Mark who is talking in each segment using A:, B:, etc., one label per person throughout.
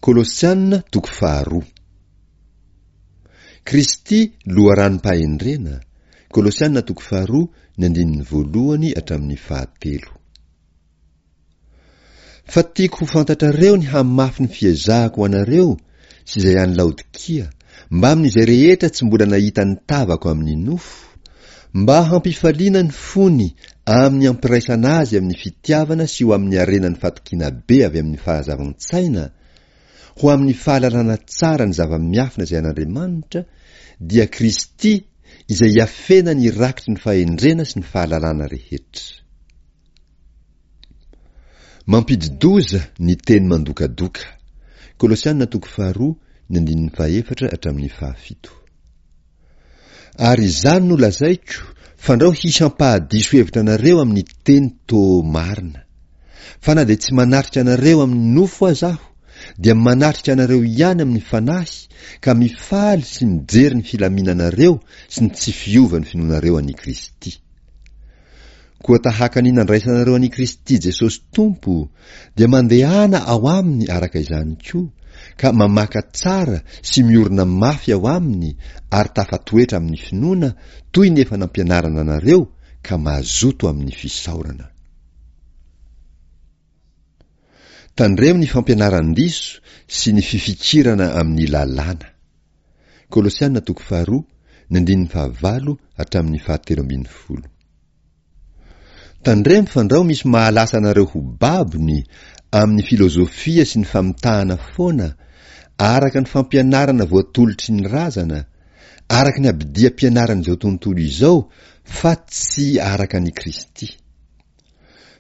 A: Kolosiana toko faharoa. Kristy loharanom-pahendrena, Kolosiana toko faharoa ny andininy voalohany hatramin'ny fahatelo. Fa tiako ho fantatrareo ny hamafy ny fiezahako ho anareo sy izay any Laodikia, mbamin'izay rehetra tsy mbola nahita ny tavako amin'ny nofo, mba hampifaliana ny fony amin'ny hampiraisana azy amin'ny fitiavana sy ho amin'ny harenan'ny fatokiana be avy amin'ny fahazavan-tsaina, ho amin'ny fahalalana tsara ny zava-miafina izay an'Andriamanitra, dia Kristy izay iafenany rakitry ny fahendrena sy ny fahalalana rehetra. Mampidi-doza ny teny mandokadoka. Kolosiana toko faharoa ny andininy fahefatra hatramin'ny fahafito. Ary izany no lazaiko, fandrao hisy hampahadiso hevitra anareo amin'ny teny toa marina. Fa na dia tsy manatrika anareo amin'ny nofo aza aho, dia manatrika anareo ihany amin'ny fanahy, ka mifaly sy mijery ny filaminanareo sy ny tsy fiovan'ny finoanareo an'i Kristy. Koa tahaka ny nandraisanareo an'i Kristy Jesosy Tompo, dia mandehana ao aminy araka izany koa, ka mamaka tsara sy miorina mafy ao aminy ary tafatoetra amin'ny finoana toy ny efa nampianarana anareo ka mazoto amin'ny fisaorana. Tandremo ny fampianaran-diso sy ny fifikirana amin'ny lalàna. Kolosiana toko faharoa, ny andininy fahavalo hatramin'ny fahatelo ambin'ny folo. Tandremo fandrao misy mahalasa anareo ho babony amin'ny filozofia sy ny famitahana foana, araka ny fampianarana voatolotry ny razana, araka ny abidiam-pianaran'izao tontolo izao fa tsy araka an'i Kristy.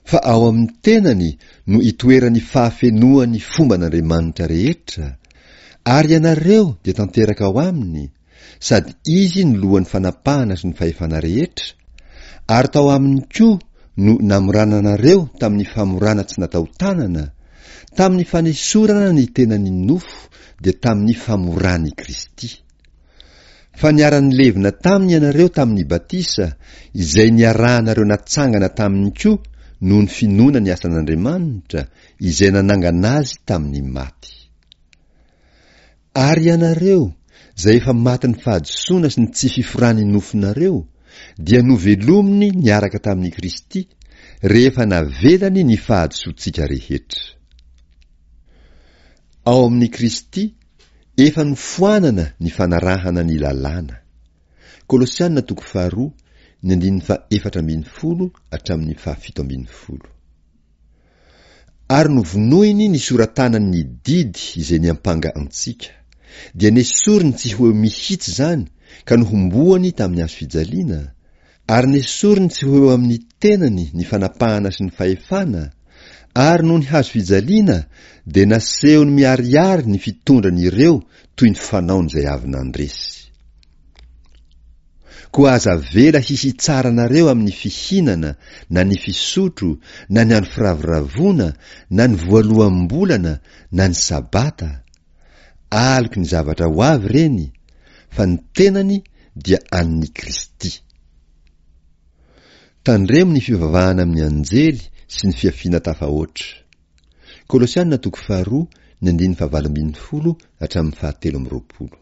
A: Fa ao amin'ny tenany no itoeran'ny fahafenoan'ny fomban'Andriamanitra rehetra, ary ianareo dia tanteraka ao aminy, sady Izy no lohan'ny fanapahana sy ny fahefana rehetra, ary tao aminy koa no namorana anareo tamin'ny famorana tsy natao tanana, tamin'ny fanesorana ny tenan'ny nofo, dia tamin'ny famoran'i Kristy. Fa niara-nilevina taminy ianareo tamin'ny batisa, izay niarahanareo natsangana taminy koa noho ny finoana ny asan'Andriamanitra, izay nanangana azy tamin'ny maty. Ary ianareo, izay efa matin'ny fahadisoana sy ny tsy fiforan'ny nofonareo, dia novelominy niaraka tamin'i Kristy, rehefa navelany ny fahadisoantsika rehetra. Ao amin'i Kristy, efa nofoanana ny fanarahana ny lalàna. Kolosiana toko faharoa, ny andininy faha-14 hatramin'ny faha-17. Ary novonoiny ny sora-tanany ny didy izay niampanga antsika. Dia nesoriny tsy ho eo mihitsy izany ka nohomboany tamin'ny hazo fijaliana, Ary nesoriny tsy ho eo amin'ny tenany ny fanapahana sy ny fahefana, ary noho ny hazo fijaliana dia nasehony miharihary ny fitondrany ireo toy ny fanaon'izay avy nandresy. Koa aza avela hisy hitsara anareo amin'ny fihinana na ny fisotro na ny andro firavoravoana na ny voaloham-bolana na ny sabata, aloky ny zavatra ho avy ireny, fa ny tenany dia an'ny Kristy. Tandremo ny fivavahana amin'ny anjely sy ny fiafiana tafahoatra. Kolosiana toko faharoa ny andininy fahavalo ambin'ny folo hatramin'ny fahatelo amby roapolo.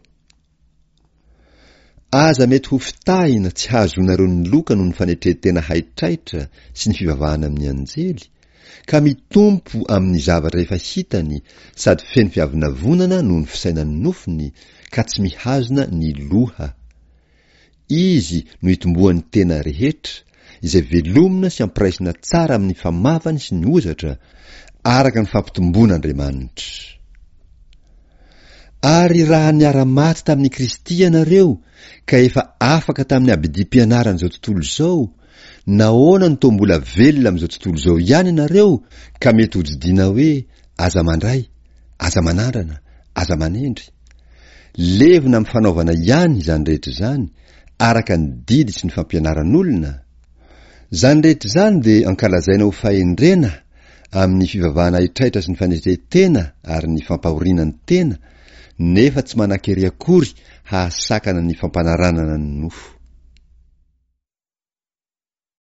A: Aza mety ho fitahina tsy hahazoanareo ny loka noho ny fanetren-tena haitraitra sy ny fivavahana amin'ny anjely, ka mitompo amin'ny zavatra efa hitany sady feno fiavonavonana noho ny fisainan'ny nofony ka tsy mihazona ny loha. Izy no itomboan'ny tena rehetra, izay velomina sy ampiraisina tsara amin'ny famavany sy ny hozatra, araka ny fampitomboan'Andriamanitra. Ary raha niara-maty tamin'i Kristy ianareo ka efa afaka tamin'ny abidim-pianaran'izao tontolo izao, nahoana no toa mbola velona amin'izao tontolo izao ihany ianareo ka mety hodidiana hoe aza mandray, aza manandrana, aza manendry? Levona amin'ny fanaovana ihany izany rehetra izany, araka ny didy sy ny fampianaran'olona? Izany rehetra izany dia ankalazaina ho fahendrena amin'ny fivavahana haitraitra sy ny fanetren-tena ary ny fampahoriana ny tena, nefa tsy manan-kery akory hahasakana ny fampanaranana ny nofo.